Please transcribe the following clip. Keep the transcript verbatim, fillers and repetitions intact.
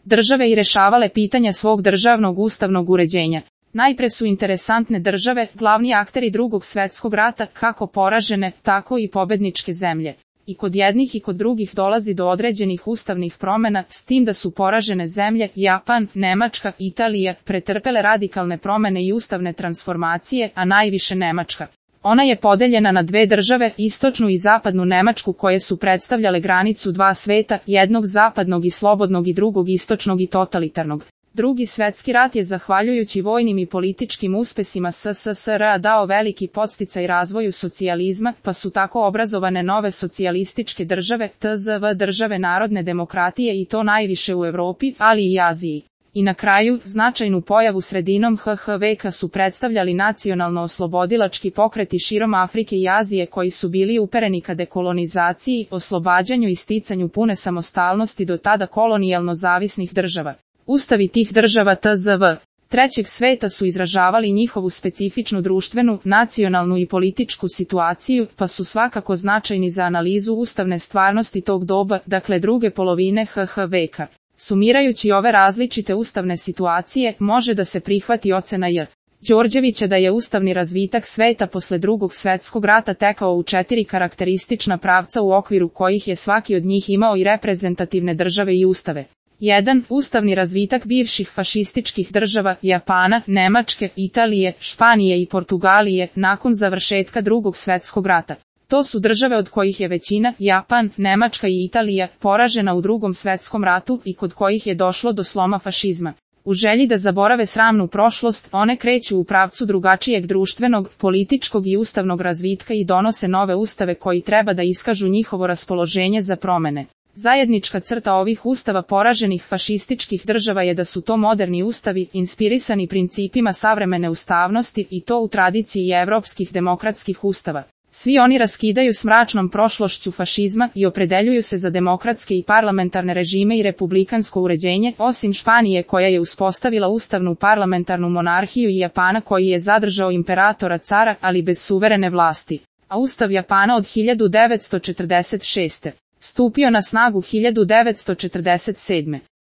države i rešavale pitanja svog državnog ustavnog uređenja. Najpre su interesantne države, glavni akteri drugog svetskog rata, kako poražene, tako i pobedničke zemlje. I kod jednih i kod drugih dolazi do određenih ustavnih promena, s tim da su poražene zemlje, Japan, Nemačka, Italija, pretrpele radikalne promene i ustavne transformacije, a najviše Nemačka. Ona je podeljena na dve države, istočnu i zapadnu Nemačku, koje su predstavljale granicu dva sveta, jednog zapadnog i slobodnog i drugog istočnog i totalitarnog. Drugi svetski rat je zahvaljujući vojnim i političkim uspesima S S S R dao veliki podsticaj razvoju socijalizma, pa su tako obrazovane nove socijalističke države, T Z V države narodne demokratije i to najviše u Evropi, ali i Aziji. I na kraju, značajnu pojavu sredinom H H veka su predstavljali nacionalno-oslobodilački pokreti širom Afrike i Azije koji su bili upereni ka dekolonizaciji, oslobađanju i sticanju pune samostalnosti do tada kolonijalno zavisnih država. Ustavi tih država T Z V trećeg sveta su izražavali njihovu specifičnu društvenu, nacionalnu i političku situaciju, pa su svakako značajni za analizu ustavne stvarnosti tog doba, dakle druge polovine H H veka. Sumirajući ove različite ustavne situacije, može da se prihvati ocena J. Đorđevića da je ustavni razvitak sveta posle drugog svetskog rata tekao u četiri karakteristična pravca u okviru kojih je svaki od njih imao i reprezentativne države i ustave. jedan. Ustavni razvitak bivših fašističkih država, Japana, Nemačke, Italije, Španije i Portugalije, nakon završetka drugog svetskog rata. To su države od kojih je većina, Japan, Nemačka i Italija, poražena u drugom svetskom ratu i kod kojih je došlo do sloma fašizma. U želji da zaborave sramnu prošlost, one kreću u pravcu drugačijeg društvenog, političkog i ustavnog razvitka i donose nove ustave koji treba da iskažu njihovo raspoloženje za promene. Zajednička crta ovih ustava poraženih fašističkih država je da su to moderni ustavi, inspirisani principima savremene ustavnosti i to u tradiciji evropskih demokratskih ustava. Svi oni raskidaju s mračnom prošlošću fašizma i opredeljuju se za demokratske i parlamentarne režime i republikansko uređenje, osim Španije koja je uspostavila ustavnu parlamentarnu monarhiju i Japana koji je zadržao imperatora cara, ali bez suverene vlasti. A ustav Japana od hiljadu devetsto četrdeset šeste. stupio na snagu hiljadu devetsto četrdeset sedme.